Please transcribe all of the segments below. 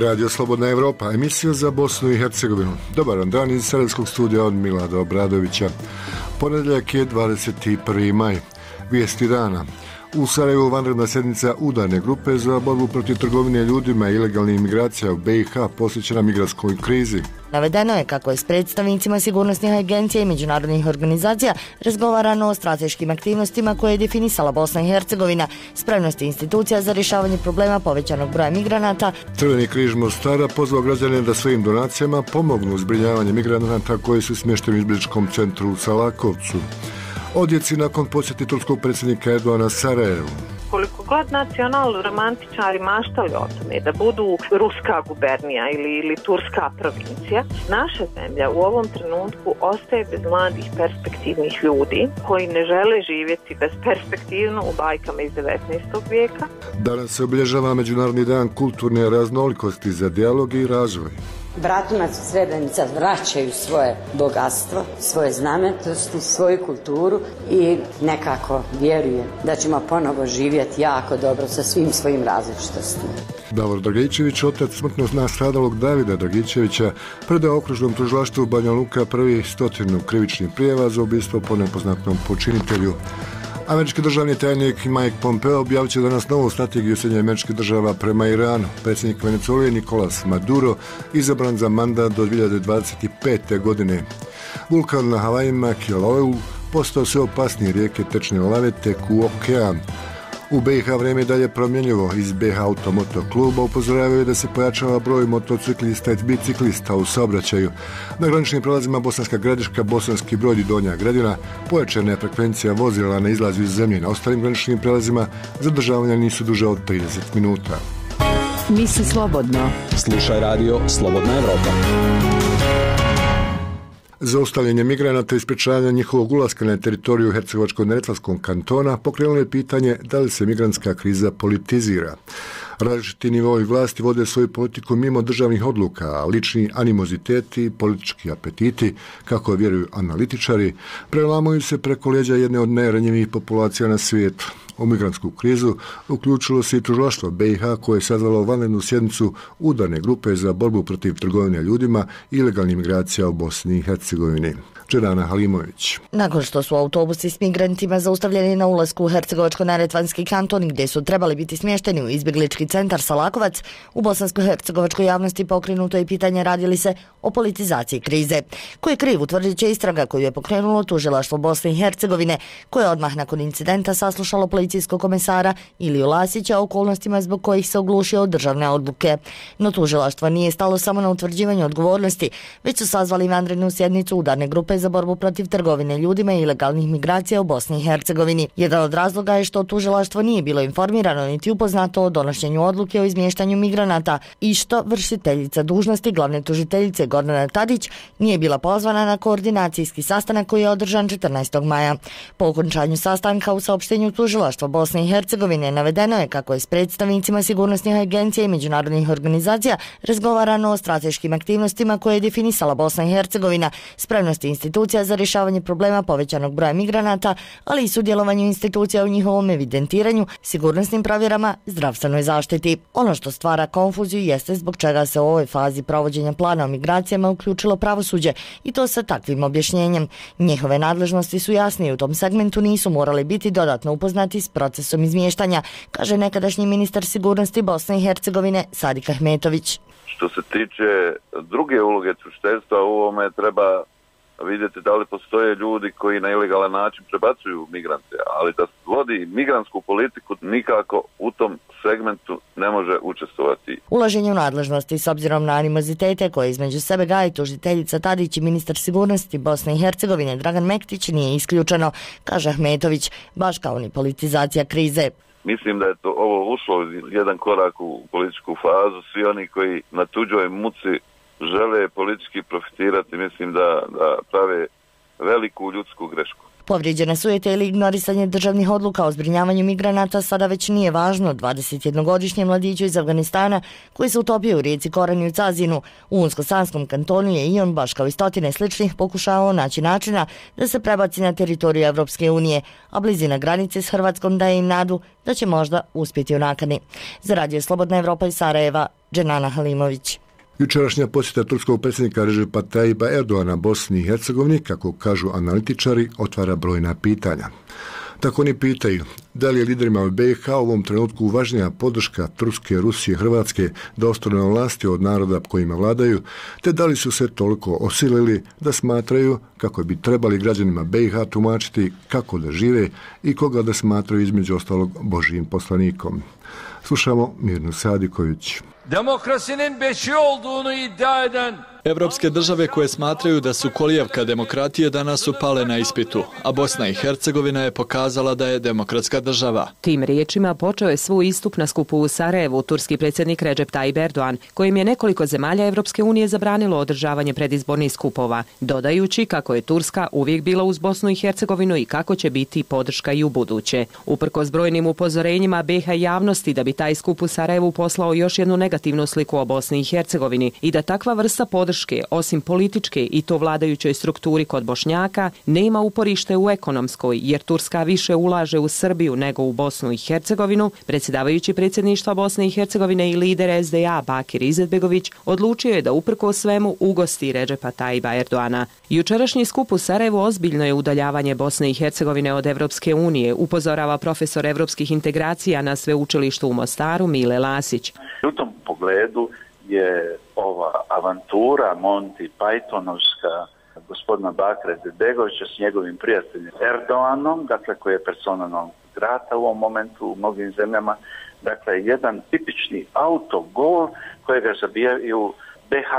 Radio Slobodna Evropa, emisija za Bosnu i Hercegovinu. Dobar dan iz Sarajevskog studija od Milada Obradovića. Ponedjeljak je 21. maj. Vijesti dana. U Sarajevu vanredna sjednica udarne grupe za borbu protiv trgovine ljudima i ilegalnih imigracija u BiH posvećena migrantskoj krizi. Navedeno je kako je s predstavnicima sigurnosnih agencija i međunarodnih organizacija razgovarano o strateškim aktivnostima koje je definisala Bosna i Hercegovina, spremnosti institucija za rješavanje problema povećanog broja migranata. Crveni križ Mostara pozvao građane da svojim donacijama pomognu u zbrinjavanju migranata koji su smješteni u izbjegličkom centru u Salakovcu. Odjeci nakon posjeti turskog predsjednika Erdogana Sarajevu. Koliko god nacional-romantičari maštali o tome da budu ruska gubernija ili turska provincija, naša zemlja u ovom trenutku ostaje bez mladih perspektivnih ljudi koji ne žele živjeti besperspektivno u bajkama iz 19. vijeka. Danas se obilježava Međunarodni dan kulturne raznolikosti za dijalog i razvoj. Bratunac i Srebrenica vraćaju svoje bogatstvo, svoje znamenitosti, svoju kulturu i nekako vjerujem da ćemo ponovo živjeti jako dobro sa svim svojim različitostima. Davor Dragičević, otac smrtno nastradalog Davida Dragičevića, predao okružnom tužilaštvu Banja Luka prvi 100 krivičnih prijava za ubistvo po nepoznatom počinitelju. Američki državni tajnik Mike Pompeo objavit će danas novu strategiju Sjedinjenih Američkih Država prema Iranu. Predsjednik Venezuele Nicolas Maduro izabran za mandat do 2025. godine. Vulkan na Havajima Kilaueu postao sve opasnije, rijeke tečne lave teku u okean. U BiH vrijeme je dalje promjenjivo. Iz BiH Automoto kluba upozoravaju da se pojačava broj motociklista i biciklista u saobraćaju. Na graničnim prelazima Bosanska Gradiška, Bosanski Brod i Donja Gradina pojačana je frekvencija vozila na izlazu iz zemlje. Na ostalim graničnim prelazima zadržavanja nisu duže od 30 minuta. Misli slobodno. Slušaj radio Slobodna Evropa. Zaustavljanje migranata i sprječavanje njihovog ulaska na teritoriju Hercegovačko-neretvanskog kantona pokrenulo je pitanje da li se migrantska kriza politizira. Različiti nivoi vlasti vode svoju politiku mimo državnih odluka, a lični animoziteti i politički apetiti, kako vjeruju analitičari, prelamuju se preko leđa jedne od najranjivijih populacija na svijetu. U migrantsku krizu uključilo se i tužilaštvo BiH koje je sazvalo vanrednu sjednicu udarne grupe za borbu protiv trgovine ljudima i ilegalnih migracija u Bosni i Hercegovini. Džerana Halimović. Nakon što su autobusi s migrantima zaustavljeni na ulasku u Hercegovačko-neretvanski kanton gdje su trebali biti smješteni u izbjeglički centar Salakovac, u bosansko-hercegovačkoj javnosti pokrenuto je pitanje radi li se o politizaciji krize. Ko je kriv, utvrdit će istraga koju je pokrenulo tužilaštvo Bosne i Hercegovine, koje je odmah nakon incidenta saslušalo policijskog komesara Iliju Lasića o okolnostima zbog kojih se oglušio od državne odluke. No tužilaštvo nije stalo samo na utvrđivanju odgovornosti, već su sazvali vanrednu sjednicu udarne grupe za borbu protiv trgovine ljudima i ilegalnih migracija u Bosni i Hercegovini. Jedan od razloga je što tužilaštvo nije bilo informirano niti upoznato o donošenju odluke o izmještanju migranata i što vršiteljica dužnosti glavne tužiteljice Gordana Tadić nije bila pozvana na koordinacijski sastanak koji je održan 14. maja. Po okončanju sastanka u saopštenju tužilaštva Bosne i Hercegovine navedeno je kako je s predstavnicima sigurnosnih agencija i međunarodnih organizacija razgovarano o strateškim aktivnostima koje je definisala Bosna i Hercegovina, spremnosti institucija za rješavanje problema povećanog broja migranata, ali i sudjelovanju institucija u njihovom evidentiranju, sigurnosnim provjerama, zdravstvenoj zaštiti. Ono što stvara konfuziju jeste zbog čega se u ovoj fazi provođenja plana o migracijama uključilo pravosuđe i to sa takvim objašnjenjem. Njihove nadležnosti su jasne i u tom segmentu nisu morali biti dodatno upoznati s procesom izmještanja, kaže nekadašnji ministar sigurnosti Bosne i Hercegovine Sadik Ahmetović. Što se tiče druge uloge tužiteljstva, u ovome treba vidjeti da li postoje ljudi koji na ilegalan način prebacuju migrante, ali da vodi migrantsku politiku nikako u tom segmentu ne može učestvovati. Ulaženje u nadležnosti s obzirom na animozitete koje između sebe gaji tužiteljica Tadić i ministar sigurnosti Bosne i Hercegovine Dragan Mektić nije isključeno, kaže Ahmetović, baš kao ni politizacija krize. Mislim da je to ovo ušlo jedan korak u političku fazu. Svi oni koji na tuđoj muci žele politički profitirati, mislim da prave veliku ljudsku grešku. Povrijeđene sujete ili ignorisanje državnih odluka o zbrinjavanju migranata sada već nije važno. 21-godišnjem mladiću iz Afganistana koji se utopio u rijeci Korani u Cazinu u Unsko-Sanskom kantonu je i on, baš kao i stotine sličnih, pokušao naći načina da se prebaci na teritoriju Evropske unije, a blizina granice s Hrvatskom daje im nadu da će možda uspjeti u nakani. Za Radio Slobodna Evropa iz Sarajeva, Dženana Halimović. Jučerašnja posjeta turskog predsjednika Recepa Tayyipa Erdoana Bosni i Hercegovini, kako kažu analitičari, otvara brojna pitanja. Tako oni pitaju da li je liderima u BiH u ovom trenutku važnija podrška Turske, Rusije, Hrvatske da ostanu na vlasti od naroda kojima vladaju, te da li su se toliko osilili da smatraju kako bi trebali građanima BiH tumačiti kako da žive i koga da smatraju između ostalog Božijim poslanikom. Slušamo Mirnu Sadiković. Demokrasinin beşi olduğunu iddia eden Evropske države koje smatraju da su kolijevka demokratije danas su pale na ispitu, a Bosna i Hercegovina je pokazala da je demokratska država. Tim riječima počeo je svoj istup na skupu u Sarajevu turski predsjednik Recep Tayyip Erdoğan, kojim je nekoliko zemalja Evropske unije zabranilo održavanje predizbornih skupova, dodajući kako je Turska uvijek bila uz Bosnu i Hercegovinu i kako će biti podrška i u buduće. Uprkos brojnim upozorenjima BiH javnosti da bi taj skup u Sarajevu poslao još jednu negativnu sliku o Bosni i Hercegovini i da takva vrsta podrške, osim političke i to vladajućoj strukturi kod Bošnjaka, nema uporište u ekonomskoj, jer Turska više ulaže u Srbiju nego u Bosnu i Hercegovinu, predsjedavajući predsjedništva Bosne i Hercegovine i lider SDA Bakir Izetbegović odlučio je da uprkos svemu ugosti Recepa Tayyipa Erdoana. Jučerašnji skup u Sarajevu ozbiljno je udaljavanje Bosne i Hercegovine od Evropske unije, upozorava profesor evropskih integracija na sveučilištu u Mostaru Mile Lasić. U tom pogledu je ova avantura Monty Pythonovska gospodina Bakira Izetbegovića s njegovim prijateljem Erdoganom, dakle koji je persona non grata u ovom momentu u mnogim zemljama, dakle jedan tipični autogol kojega zabijaju BiH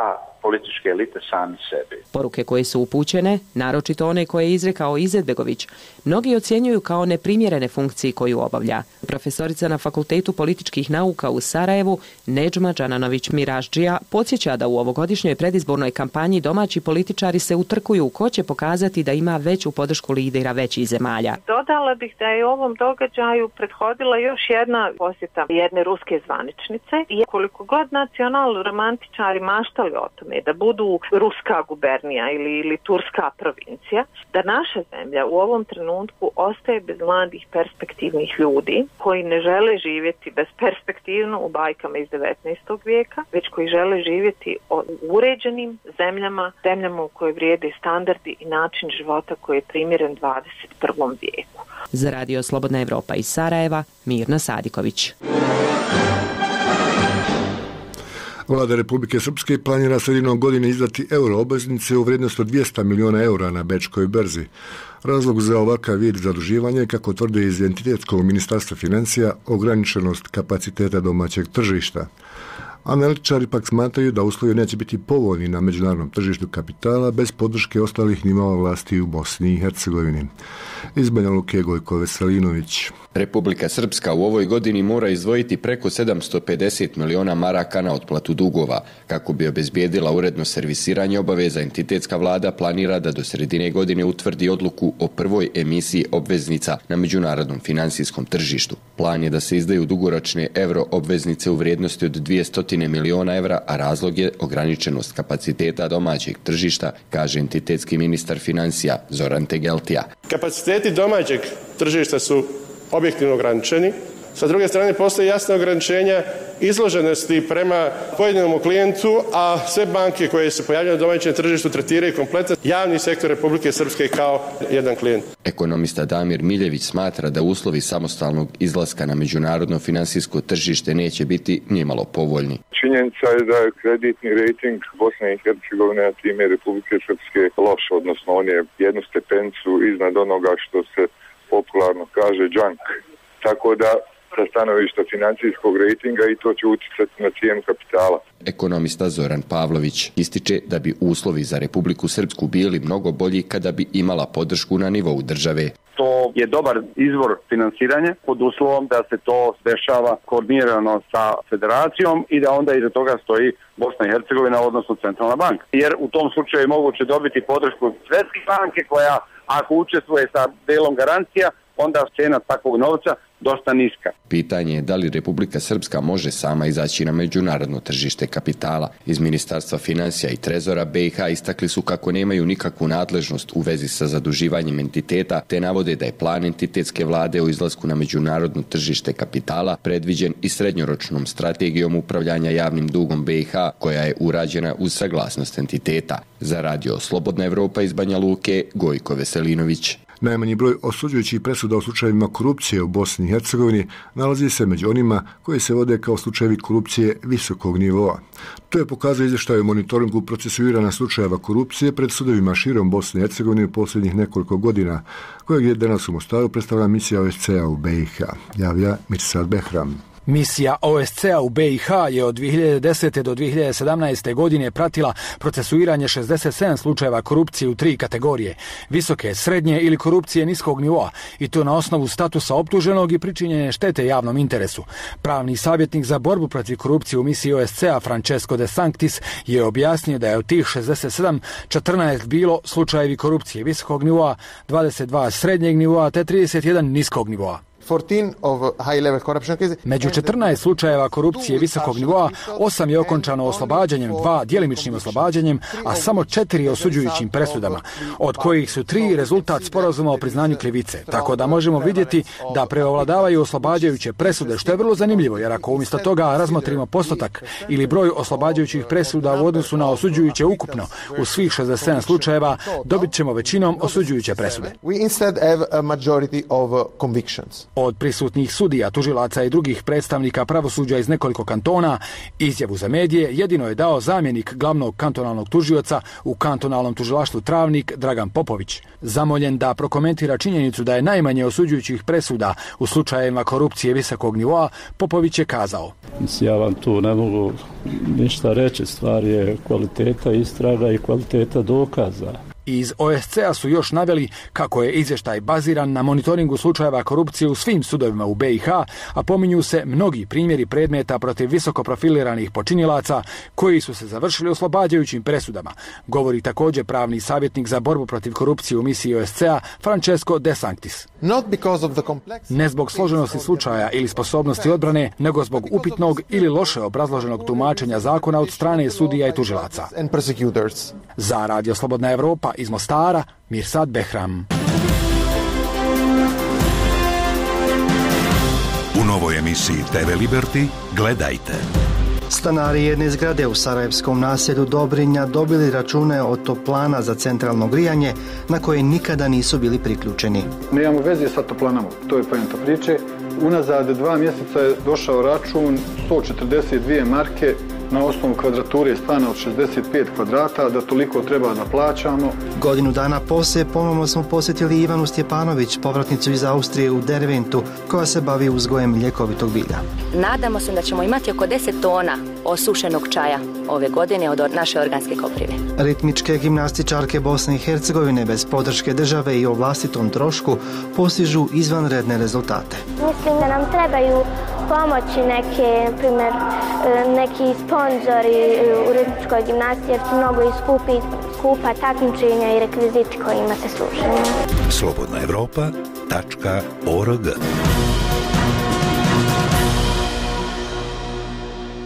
političke elite sami sebi. Poruke koje su upućene, naročito one koje je izrekao Izetbegović, mnogi ocjenjuju kao neprimjerene funkcije koju obavlja. Profesorica na Fakultetu političkih nauka u Sarajevu, Nedžma Džananović Miraždžija, podsjeća da u ovogodišnjoj predizbornoj kampanji domaći političari se utrkuju ko će pokazati da ima veću podršku lidera većih zemalja. Dodala bih da je ovom događaju prethodila još jedna posjeta jedne ruske zvaničnice i koliko god nacional-romantičari maštali o tome da budu ruska gubernija ili turska provincija, da naša zemlja u ovom trenutku ostaje bez mladih perspektivnih ljudi koji ne žele živjeti besperspektivno u bajkama iz 19. vijeka, već koji žele živjeti u uređenim zemljama u kojoj vrijede standardi i način života koji je primjeren 21. vijeku. Za Radio Slobodna Evropa iz Sarajeva, Mirna Sadiković. Vlada Republike Srpske planira sredinom godine izdati euro-obveznice u vrijednosti od 200 miliona eura na bečkoj berzi. Razlog za ovakav vid zaduživanja je, kako tvrde iz Identitetskog ministarstva financija, ograničenost kapaciteta domaćeg tržišta. Analitičari pak smatraju da uslovi neće biti povoljni na međunarodnom tržištu kapitala bez podrške ostalih nivoa vlasti u Bosni i Hercegovini. Iz Banja Luke, Gojko Veselinović. Republika Srpska u ovoj godini mora izdvojiti preko 750 miliona maraka na otplatu dugova. Kako bi obezbijedila uredno servisiranje obaveza, entitetska vlada planira da do sredine godine utvrdi odluku o prvoj emisiji obveznica na međunarodnom finansijskom tržištu. Plan je da se izdaju dugoročne euro obveznice u vrijednosti od 200 miliona evra, a razlog je ograničenost kapaciteta domaćeg tržišta, kaže entitetski ministar financija Zoran Tegeltija. Kapaciteti domaćeg tržišta su objektivno ograničeni. Sa druge strane, postoje jasne ograničenja izloženosti prema pojedinom klijentu, a sve banke koje se pojavljaju na domaćem tržištu tretiraju kompletan javni sektor Republike Srpske kao jedan klijent. Ekonomista Damir Miljević smatra da uslovi samostalnog izlaska na međunarodno finansijsko tržište neće biti nimalo povoljni. Činjenica je da je kreditni rejting Bosne i Hercegovine, a time Republike Srpske, loš, odnosno on je jednu stepenicu iznad onoga što se popularno kaže junk. Tako da sa stanovišta financijskog rejtinga i to će utjecati na cijenu kapitala. Ekonomista Zoran Pavlović ističe da bi uslovi za Republiku Srpsku bili mnogo bolji kada bi imala podršku na nivou države. To je dobar izvor finansiranja pod uslovom da se to dešava koordinirano sa federacijom i da onda iza toga stoji Bosna i Hercegovina, odnosno Centralna banka. Jer u tom slučaju je moguće dobiti podršku Svjetske banke koja ako učestvuje sa delom garancija, onda cena takvog novca dosta niska. Pitanje je da li Republika Srpska može sama izaći na međunarodno tržište kapitala. Iz Ministarstva financija i Trezora BiH istakli su kako nemaju nikakvu nadležnost u vezi sa zaduživanjem entiteta, te navode da je plan entitetske vlade o izlasku na međunarodno tržište kapitala predviđen i srednjoročnom strategijom upravljanja javnim dugom BiH, koja je urađena uz saglasnost entiteta. Za Radio Slobodna Evropa iz Banja Luke, Gojko Veselinović. Najmanji broj osuđujućih presuda u slučajevima korupcije u Bosni i Hercegovini nalazi se među onima koji se vode kao slučajevi korupcije visokog nivoa. To je pokazao izvještaj o monitoringu procesuirana slučajeva korupcije pred sudovima širom Bosne i Hercegovine u posljednjih nekoliko godina, kojeg je danas u Mostaru predstavila misija OSCE-a u BiH. Javlja Mirsad Behram. Misija OSCE-a u BiH je od 2010. do 2017. godine pratila procesuiranje 67 slučajeva korupcije u 3 kategorije: visoke, srednje ili korupcije niskog nivoa, i to na osnovu statusa optuženog i pričinjene štete javnom interesu. Pravni savjetnik za borbu protiv korupcije u misiji OSCE-a Francesco De Sanctis je objasnio da je od tih 67 14 bilo slučajevi korupcije visokog nivoa, 22 srednjeg nivoa te 31 niskog nivoa. Među 14 slučajeva korupcije visokog nivoa, 8 je okončano oslobađanjem, 2 djelimičnim oslobađanjem, a samo 4 osuđujućim presudama, od kojih su 3 rezultat sporazuma o priznanju krivice. Tako da možemo vidjeti da preovladavaju oslobađajuće presude, što je vrlo zanimljivo, jer ako umjesto toga razmotrimo postotak ili broj oslobađajućih presuda u odnosu na osuđujuće ukupno u svih 67 slučajeva, dobit ćemo većinom osuđujuće presude. Od prisutnih sudija, tužilaca i drugih predstavnika pravosuđa iz nekoliko kantona izjavu za medije jedino je dao zamjenik glavnog kantonalnog tužioca u kantonalnom tužilaštvu Travnik Dragan Popović. Zamoljen da prokomentira činjenicu da je najmanje osuđujućih presuda u slučajevima korupcije visokog nivoa, Popović je kazao: Ja vam tu ne mogu ništa reći, stvar je kvaliteta istraga i kvaliteta dokaza. Iz OSCE-a su još naveli kako je izvještaj baziran na monitoringu slučajeva korupcije u svim sudovima u BiH, a pominju se mnogi primjeri predmeta protiv visoko profiliranih počinilaca koji su se završili oslobađajućim presudama, govori također pravni savjetnik za borbu protiv korupcije u misiji OSCE-a Francesco De Sanctis. Ne zbog složenosti slučaja ili sposobnosti odbrane, nego zbog upitnog ili loše obrazloženog tumačenja zakona od strane sudija i tužilaca. Za Radio Slobodna Evropa iz Mostara, Mirsad Behram. U novoj emisiji TV Liberty gledajte. Stanari jedne zgrade u sarajevskom naselju Dobrinja dobili račune od toplana za centralno grijanje na koje nikada nisu bili priključeni. Nemamo veze sa toplanama, to je poenta priče. Unazad 2 mjeseca je došao račun 142 marke na osnovu kvadrature stana od 65 kvadrata, da toliko treba da plaćamo. Godinu dana poslije ponovno smo posjetili Ivanu Stjepanović, povratnicu iz Austrije u Derventu, koja se bavi uzgojem ljekovitog bilja. Nadamo se da ćemo imati oko 10 tona osušenog čaja ove godine od naše organske koprive. Ritmičke gimnastičarke Bosne i Hercegovine bez podrške države i o vlastitom trošku postižu izvanredne rezultate. Mislim da nam trebaju pomoći neki sponzori u ritmičkoj gimnastiji, jer su mnogo i skupa takmičenja i rekviziti kojima se služimo. slobodnaevropa.org.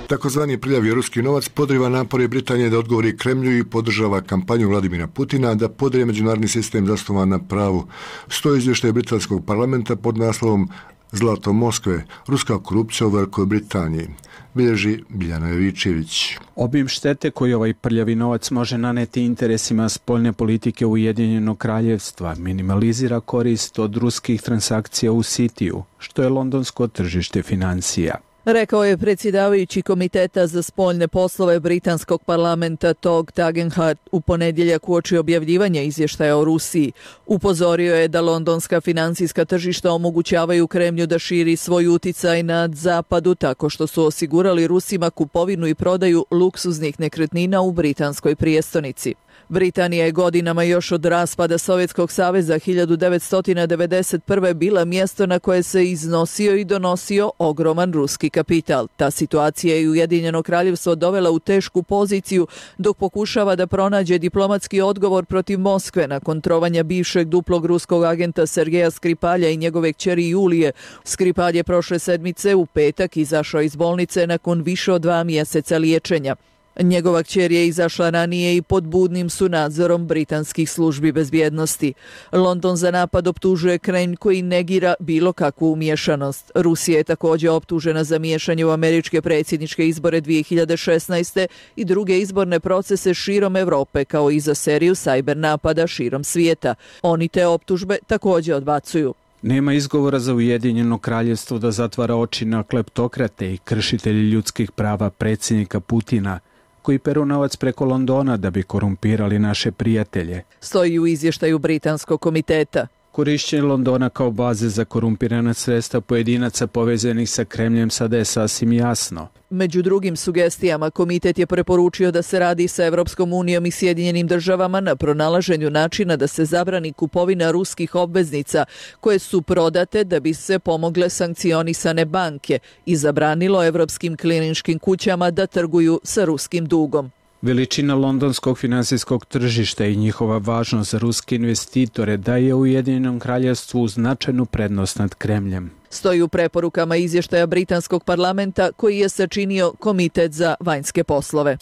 Takozvani prljavi ruski novac podriva napore Britanije da odgovori Kremlju i podržava kampanju Vladimira Putina da podrije međunarodni sistem zasnovan na pravu. Stoji izvještaj britanskog parlamenta pod naslovom Zlato Moskve, ruska korupcija u Velikoj Britaniji. Bilježi Biljana Jovičević. Obim štete koji ovaj prljavi novac može naneti interesima spoljne politike Ujedinjenog kraljevstva minimalizira korist od ruskih transakcija u Citiju, što je londonsko tržište financija. Rekao je predsjedavajući Komiteta za spoljne poslove britanskog parlamenta Tog Tagenhart u ponedjeljak uoči objavljivanja izvještaja o Rusiji. Upozorio je da londonska financijska tržišta omogućavaju Kremlju da širi svoj uticaj nad zapadu tako što su osigurali Rusima kupovinu i prodaju luksuznih nekretnina u britanskoj prijestolnici. Britanija je godinama još od raspada Sovjetskog saveza 1991. bila mjesto na koje se iznosio i donosio ogroman ruski kapital. Ta situacija je Ujedinjeno kraljevstvo dovela u tešku poziciju dok pokušava da pronađe diplomatski odgovor protiv Moskve nakon trovanja bivšeg duplog ruskog agenta Sergeja Skripalja i njegove kćeri Julije. Skripalj je prošle sedmice u petak izašao iz bolnice nakon više od 2 mjeseca liječenja. Njegova kćer je izašla ranije i pod budnim su nadzorom britanskih službi bezbjednosti. London za napad optužuje Kremlj koji negira bilo kakvu umiješanost. Rusija je također optužena za miješanje u američke predsjedničke izbore 2016. i druge izborne procese širom Europe, kao i za seriju sajber napada širom svijeta. Oni te optužbe također odbacuju. Nema izgovora za Ujedinjeno kraljevstvo da zatvara oči na kleptokrate i kršitelji ljudskih prava predsjednika Putina, koji peru novac preko Londona da bi korumpirali naše prijatelje. Stoji u izvještaju Britanskog komiteta. Korišćenje Londona kao baze za korumpirana sredstva pojedinaca povezanih sa Kremljem sada je sasvim jasno. Među drugim sugestijama, komitet je preporučio da se radi sa Evropskom unijom i Sjedinjenim državama na pronalaženju načina da se zabrani kupovina ruskih obveznica koje su prodate da bi se pomogle sankcionisane banke i zabranilo evropskim kliničkim kućama da trguju sa ruskim dugom. Veličina londonskog finansijskog tržišta i njihova važnost za ruske investitore daje Ujedinjenom kraljevstvu značajnu prednost nad Kremljem. Stoji u preporukama izvještaja Britanskog parlamenta koji je sačinio Komitet za vanjske poslove.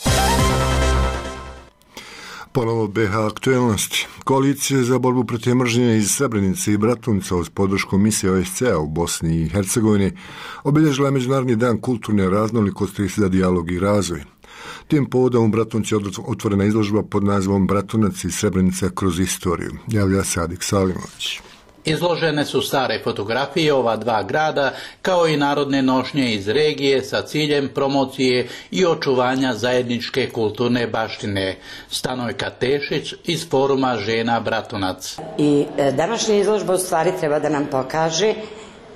Ponovo BiH aktuelnosti. Koalicije za borbu protiv mržnje iz Srebrenice i Bratunca uz podršku misije OSCE u Bosni i Hercegovini obilježila je Međunarodni dan kulturne raznolikosti za dijalog i razvoj. Tim povodom u Bratunci je otvorena izložba pod nazivom Bratunac i Srebrenica kroz istoriju. Javlja Sadik Salimović. Izložene su stare fotografije ova dva grada, kao i narodne nošnje iz regije sa ciljem promocije i očuvanja zajedničke kulturne baštine. Stanojka Tešić iz foruma Žena Bratunac. I današnja izložba u stvari treba da nam pokaže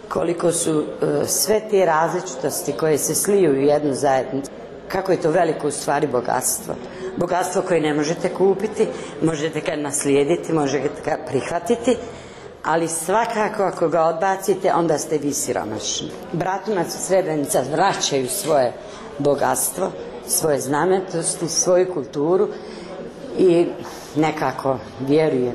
koliko su sve te različitosti koje se sliju u jednu zajednicu. Kako je to veliko u stvari bogatstvo. Bogatstvo koje ne možete kupiti, možete ga naslijediti, možete ga prihvatiti, ali svakako ako ga odbacite, onda ste vi siromašni. Bratunac i Srebrenica vraćaju svoje bogatstvo, svoje znamenitosti, svoju kulturu i nekako vjerujem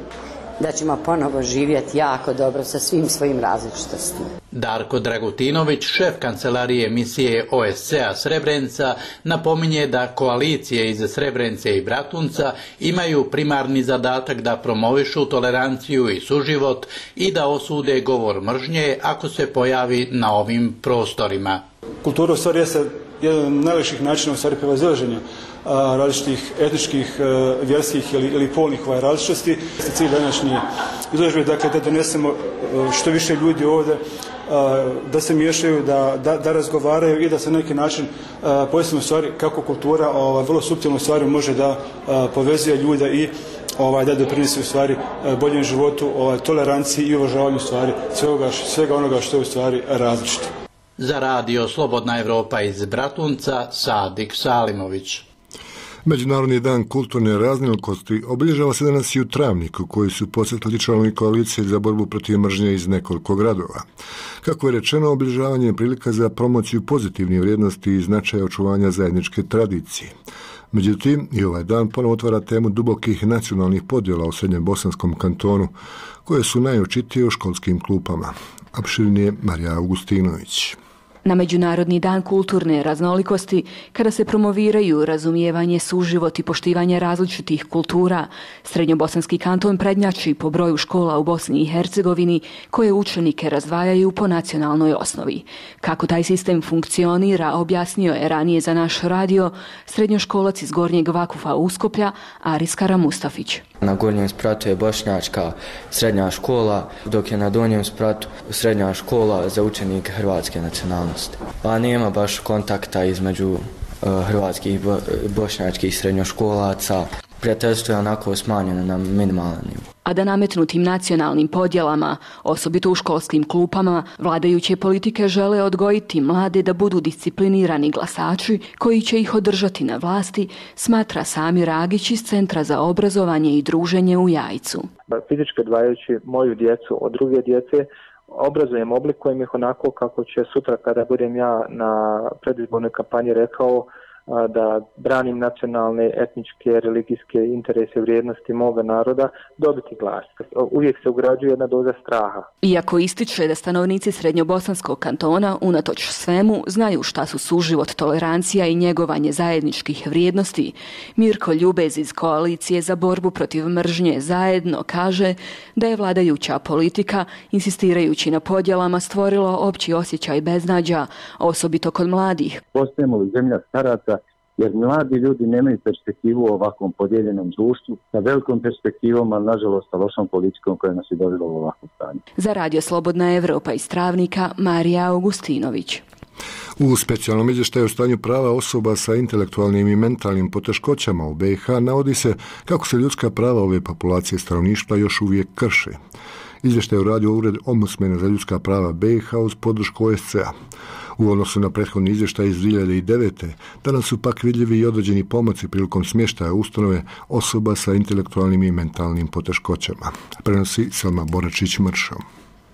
da ćemo ponovo živjeti jako dobro sa svim svojim različitostima. Darko Dragutinović, šef kancelarije misije OSCE-a Srebrenica, napominje da koalicije iz Srebrenice i Bratunca imaju primarni zadatak da promovišu toleranciju i suživot i da osude govor mržnje ako se pojavi na ovim prostorima. Kultura u stvari je jedan od najljepših načina u stvari prevazilaženja različitih etničkih, vjerskih ili polnih različitosti. Cilj današnje izložbe, dakle, da donesemo što više ljudi ovdje, da se miješaju, da razgovaraju i da se na neki način pojasnimo stvari kako kultura vrlo suptilno stvari može da povezuje ljude i da doprinese u stvari boljem životu, toleranciji i uvažavanju stvari svega onoga što je u stvari različito. Za radio Slobodna Evropa iz Bratunca, Sadik Salimović. Međunarodni dan kulturne raznolikosti obilježava se danas i u Travniku, koji su posjetili članovi koalicije za borbu protiv mržnje iz nekoliko gradova. Kako je rečeno, obilježavanje je prilika za promociju pozitivnih vrijednosti i značaja očuvanja zajedničke tradicije. Međutim, i ovaj dan ponovo otvara temu dubokih nacionalnih podjela u srednjem bosanskom kantonu, koje su najočitije u školskim klupama. Opširnije Marija Augustinović. Na Međunarodni dan kulturne raznolikosti, kada se promoviraju razumijevanje, suživot i poštivanje različitih kultura, Srednjobosanski kanton prednjači po broju škola u Bosni i Hercegovini koje učenike razdvajaju po nacionalnoj osnovi. Kako taj sistem funkcionira, objasnio je ranije za naš radio srednjoškolac iz Gornjeg Vakufa Uskoplja, Aris Karamustafić. Na gornjem spratu je bošnjačka srednja škola, dok je na donjem spratu srednja škola za učenike hrvatske nacionalnosti. Pa nema baš kontakta između hrvatskih i bošnjačkih srednjoškolaca. Prijateljstvo je onako smanjeno na minimalan nivo. a da nametnutim nacionalnim podjelama, osobito u školskim klupama, vladajuće politike žele odgojiti mlade da budu disciplinirani glasači koji će ih održati na vlasti, smatra Samir Ragić iz Centra za obrazovanje i druženje u Jajcu. Fizički odvajajući moju djecu od druge djece, obrazujem, oblikujem ih onako kako će sutra kada budem ja na predizbornoj kampanji rekao da branim nacionalne, etničke, religijske interese, vrijednosti moga naroda, dobiti glas. Uvijek se ugrađuje jedna doza straha. Iako ističe da stanovnici Srednjobosanskog kantona unatoč svemu znaju šta su suživot, tolerancija i njegovanje zajedničkih vrijednosti, Mirko Ljubez iz Koalicije za borbu protiv mržnje Zajedno kaže da je vladajuća politika, insistirajući na podjelama, stvorila opći osjećaj beznađa, osobito kod mladih. Postajemo li zemlja staraca, jer mladi ljudi nemaju perspektivu u ovakvom podijeljenom društvu, sa velikom perspektivom, ali nažalost sa lošom politikom koja nas je dovela u ovakvom stanju. Za Radio Slobodna Evropa iz Travnika, Marija Augustinović. U specijalnom izvještaju o stanju prava osoba sa intelektualnim i mentalnim poteškoćama u BiH navodi se kako se ljudska prava ove populacije stanovništva još uvijek krše. Izvještaj je uradio Ured ombudsmena za ljudska prava BiH uz podršku OSCE-a. U odnosu na prethodni izvještaj iz 2009. danas su pak vidljivi i određeni pomaci prilikom smještaja ustanove osoba sa intelektualnim i mentalnim poteškoćama. Prenosi Selma Boračić-Mršo.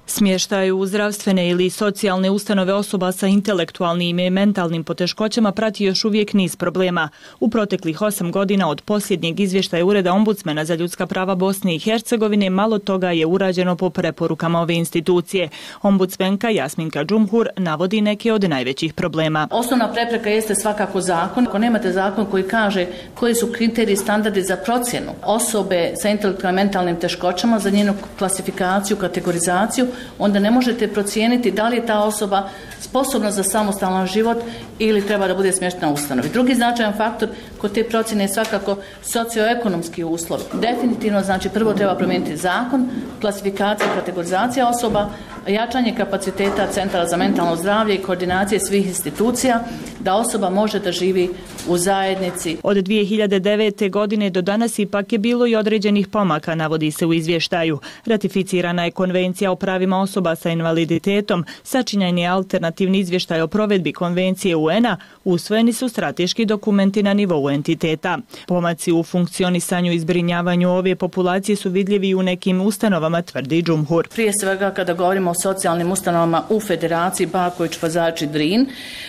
Smještaj u zdravstvene ili socijalne ustanove osoba sa intelektualnim i mentalnim poteškoćama prati još uvijek niz problema. U proteklih 8 godina od posljednjeg izvještaja Ureda ombudsmena za ljudska prava Bosne i Hercegovine malo toga je urađeno po preporukama ove institucije. Ombudsmenka Jasminka Džumhur navodi neke od najvećih problema. Osnovna prepreka jeste svakako zakon. Ako nemate zakon koji kaže koji su kriteriji, standardi za procjenu osobe sa intelektualnim i mentalnim teškoćama, za njenu klasifikaciju, kategorizaciju, onda ne možete procijeniti da li je ta osoba sposobna za samostalan život ili treba da bude smještena u ustanovi. Drugi značajan faktor kod te procjene je svakako socioekonomski uslov. Definitivno, znači, prvo treba promijeniti zakon, klasifikacija, kategorizacija osoba, jačanje kapaciteta Centara za mentalno zdravlje i koordinacije svih institucija da osoba može da živi u zajednici. Od 2009. godine do danas ipak je bilo i određenih pomaka, navodi se u izvještaju. Ratificirana je Konvencija o pravima osoba sa invaliditetom, sačinjen je alternativni izvještaj o provedbi Konvencije UN-a, usvojeni su strateški dokumenti na nivou entiteta. Pomaci u funkcionisanju i zbrinjavanju ove populacije su vidljivi u nekim ustanovama, tvrdi Džumhur. Prije svega kada govorimo o socijalnim ustanovama u Federaciji Baković, Pazači, Drin,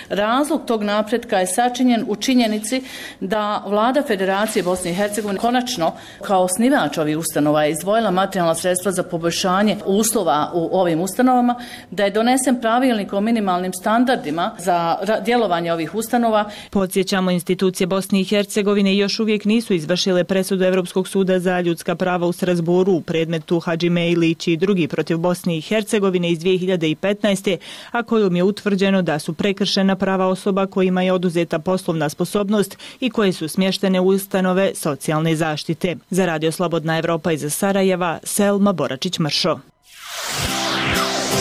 razlog tog napretka je sačinjen u činjenici da Vlada Federacije Bosne i Hercegovine konačno kao osnivač ovih ustanova je izdvojila materijalna sredstva za poboljšanje uslova u ovim ustanovama, da je donesen pravilnik o minimalnim standardima za djelovanje ovih ustanova. Podsjećamo, institucije Bosne i Hercegovine još uvijek nisu izvršile presudu Evropskog suda za ljudska prava u Strasbourgu u predmetu Hadžime Ilić i drugi protiv Bosne i Hercegovine iz 2015. a kojom je utvrđeno da su prekršena prava osoba kojima je oduzeta poslovna sposobnost i koje su smještene u ustanove socijalne zaštite. Za Radio Slobodna Evropa iz Sarajeva, Selma Boračić-Mršo.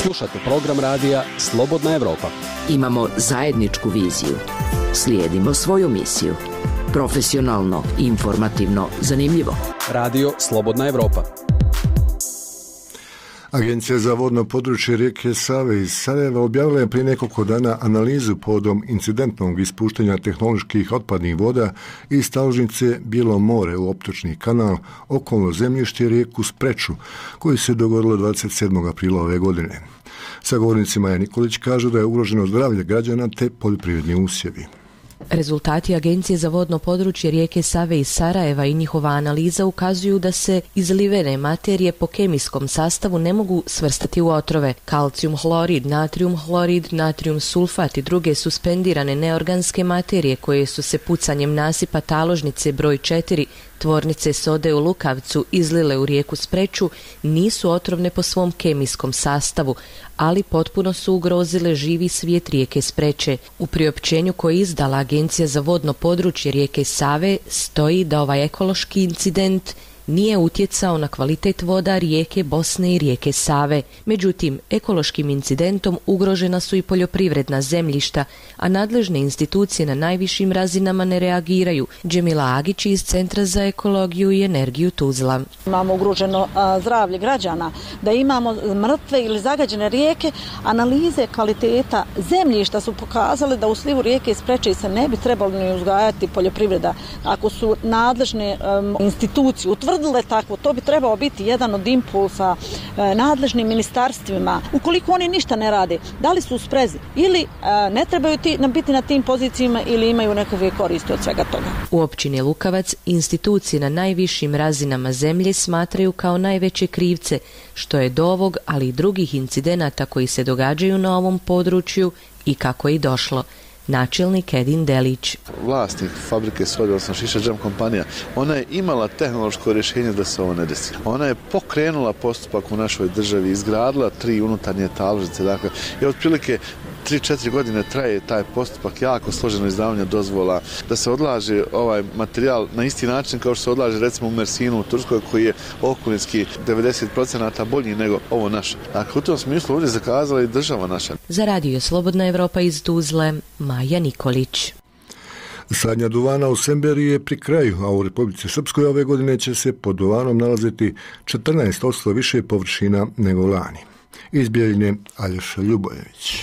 Slušate program radija Slobodna Evropa. Imamo zajedničku viziju. Slijedimo svoju misiju. Profesionalno, informativno, zanimljivo. Radio Slobodna Evropa. Agencija za vodno područje rijeke Save iz Sarajeva objavila je prije nekoliko dana analizu povodom incidentnog ispuštanja tehnoloških otpadnih voda iz taložnice Bijelo more u optočni kanal, okolno zemljište i rijeku Spreču, koji se dogodilo 27. aprila ove godine. Sagovornici Maja Nikolić kažu da je ugroženo zdravlje građana te poljoprivredni usjevi. Rezultati Agencije za vodno područje rijeke Save iz Sarajeva i njihova analiza ukazuju da se izlivene materije po kemijskom sastavu ne mogu svrstati u otrove. Kalcijum hlorid, natrium hlorid, natrium sulfat i druge suspendirane neorganske materije koje su se pucanjem nasipa taložnice broj 4 tvornice sode u Lukavcu izlile u rijeku Spreču nisu otrovne po svom kemijskom sastavu, ali potpuno su ugrozile živi svijet rijeke Spreče. U priopćenju koje je izdala Agencija za vodno područje rijeke Save stoji da ovaj ekološki incident nije utjecao na kvalitet voda rijeke Bosne i rijeke Save. Međutim, ekološkim incidentom ugrožena su i poljoprivredna zemljišta, a nadležne institucije na najvišim razinama ne reagiraju. Džemila Agić iz Centra za ekologiju i energiju Tuzla. Imamo ugroženo zdravlje građana, da imamo mrtve ili zagađene rijeke. Analize kvaliteta zemljišta su pokazale da u slivu rijeke Ispreče se ne bi trebalo ni uzgajati poljoprivreda. Ako su nadležne institucije utvrdile takvo, to bi trebao biti jedan od impulsa nadležnim ministarstvima. Ukoliko oni ništa ne rade, da li su u sprezi ili ne trebaju biti na tim pozicijama ili imaju nekakve koristi od svega toga. U općini Lukavac institucije na najvišim razinama zemlje smatraju kao najveće krivce, što je do ovog, ali i drugih incidenata koji se događaju na ovom području i kako je i došlo. Načelnik Edin Delić. Vlasnik fabrike Sode, odnosno Šiša Džem kompanija, ona je imala tehnološko rješenje da se ovo ne desi. Ona je pokrenula postupak u našoj državi, izgradila 3 unutarnje taložnice, dakle, i otprilike 3-4 godine traje taj postupak, jako složeno izdavanje dozvola, da se odlaže ovaj materijal na isti način kao što se odlaže recimo u Mersinu u Turskoj, koji je okolinski 90% bolji nego ovo naše. Dakle, u tom smislu ovdje zakazala i država naša. Za radio Slobodna Evropa iz Tuzle, Maja Nikolić. Sadnja duvana u Semberiji je pri kraju, a u Republici Srpskoj ove godine će se pod duvanom nalaziti 14% više površina nego lani. Iz Bijeljine, Aljoša Ljubojević.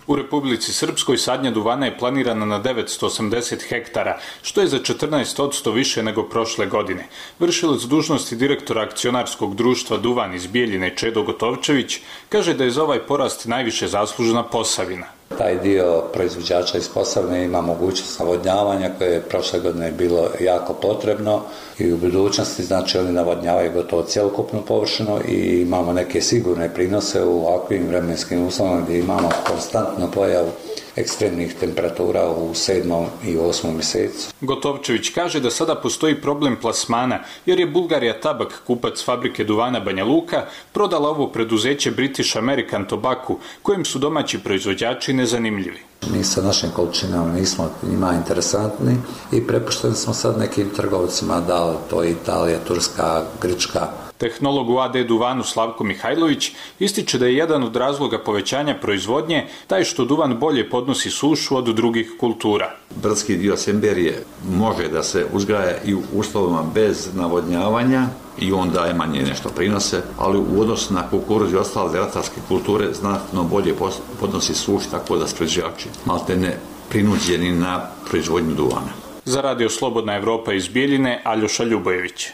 U Republici Srpskoj sadnja duvana je planirana na 980 hektara, što je za 14% više nego prošle godine. Vršilac dužnosti direktora akcionarskog društva Duvan iz Bijeljine Čedo Gotovčević kaže da je za ovaj porast najviše zaslužena Posavina. Taj dio proizvođača iz Posavine ima mogućnost navodnjavanja koje je prošle godine bilo jako potrebno i u budućnosti, znači oni navodnjavaju gotovo cjelokupnu površinu i imamo neke sigurne prinose u ovakvim vremenskim uslovima gdje imamo konstantnu pojavu ekstremnih temperatura u 7. i 8. mjesecu. Gotovčević kaže da sada postoji problem plasmana, jer je Bulgarija Tabak, kupac fabrike duvana Banja Luka, prodala ovo preduzeće British American Tobacco, kojim su domaći proizvođači nezanimljivi. Mi sa našim količinama nismo njima interesantni i prepušteni smo sad nekim trgovcima, da li to je Italija, Turska, Grčka. Tehnolog u AD Duvanu Slavko Mihajlović ističe da je jedan od razloga povećanja proizvodnje taj što duvan bolje podnosi sušu od drugih kultura. Brdski dio Semberije može da se uzgaja i u uslovima bez navodnjavanja i on daje manje nešto prinose, ali u odnosu na kukuruz i ostale ratarske kulture znatno bolje podnosi sušu, tako da su proizvođači maltene prinuđeni na proizvodnju duvana. Za radio Slobodna Evropa iz Bijeljine, Aljoša Ljubojević.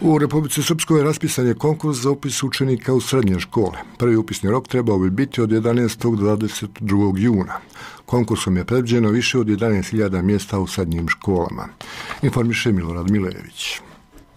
U Republici Srpskoj raspisan je konkurs za upis učenika u srednje škole. Prvi upisni rok trebao bi biti od 11. do 22. juna. Konkursom je predviđeno više od 11.000 mjesta u srednjim školama. Informiše Milorad Milejević.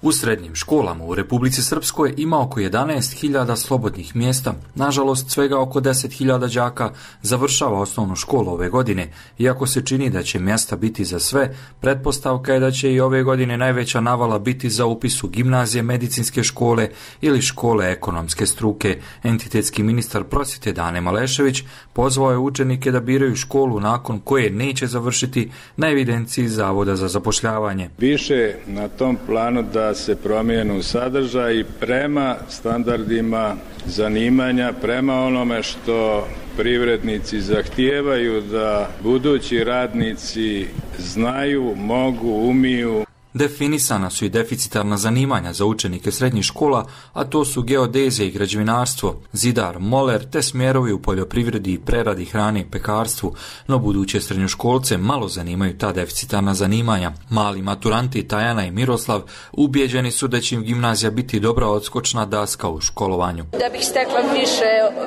U srednjim školama u Republici Srpskoj ima oko 11.000 slobodnih mjesta. Nažalost, svega oko 10.000 đaka završava osnovnu školu ove godine. Iako se čini da će mjesta biti za sve, pretpostavka je da će i ove godine najveća navala biti za upis u gimnazije, medicinske škole ili škole ekonomske struke. Entitetski ministar prosvjete Dane Malešević pozvao je učenike da biraju školu nakon koje neće završiti na evidenciji Zavoda za zapošljavanje. Više na tom planu da se promijenu sadržaj prema standardima zanimanja, prema onome što privrednici zahtijevaju da budući radnici znaju, mogu, umiju. Definisana su i deficitarna zanimanja za učenike srednjih škola, a to su geodezija i građevinarstvo, zidar, moler te smjerovi u poljoprivredi i preradi hrane i pekarstvu, no buduće srednjoškolce malo zanimaju ta deficitarna zanimanja. Mali maturanti Tajana i Miroslav ubijeđeni su da će im gimnazija biti dobra odskočna daska u školovanju. Da bih stekla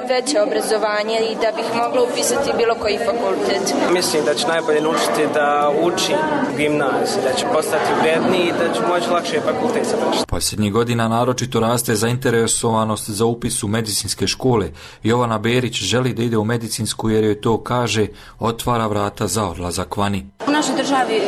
veće obrazovanje i da bih mogla upisati bilo koji fakultet. Mislim da će najbolje naučiti da uči u gimnaziji, da će postati i da će moći lakše fakultet završiti. Posljednjih godina naročito raste zainteresovanost za upis u medicinske škole. Jovana Berić želi da ide u medicinsku jer joj to, kaže, otvara vrata za odlazak vani. U našoj državi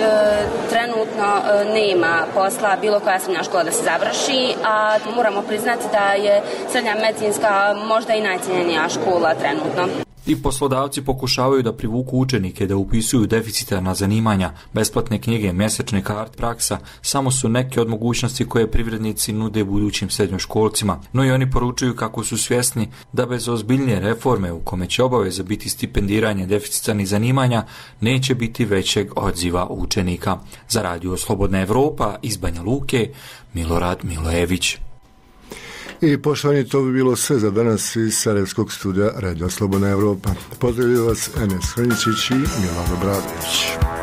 trenutno nema posla bilo koja srednja škola da se završi, a moramo priznati da je srednja medicinska možda i najcijenjenija škola trenutno. I poslodavci pokušavaju da privuku učenike da upisuju deficitarna zanimanja, besplatne knjige, mjesečne karte, praksa, samo su neke od mogućnosti koje privrednici nude budućim srednjoškolcima, no i oni poručuju kako su svjesni da bez ozbiljnije reforme u kome će obaveza biti stipendiranje deficitarnih zanimanja neće biti većeg odziva učenika. Za Radio Slobodna Evropa iz Banja Luke, Milorad Milojević. I poštovani, to bi bilo sve za danas iz Sarajevskog studija Radio Slobodna Evropa. Pozdravljaju vas Enes Hrničić i Milan Obradović.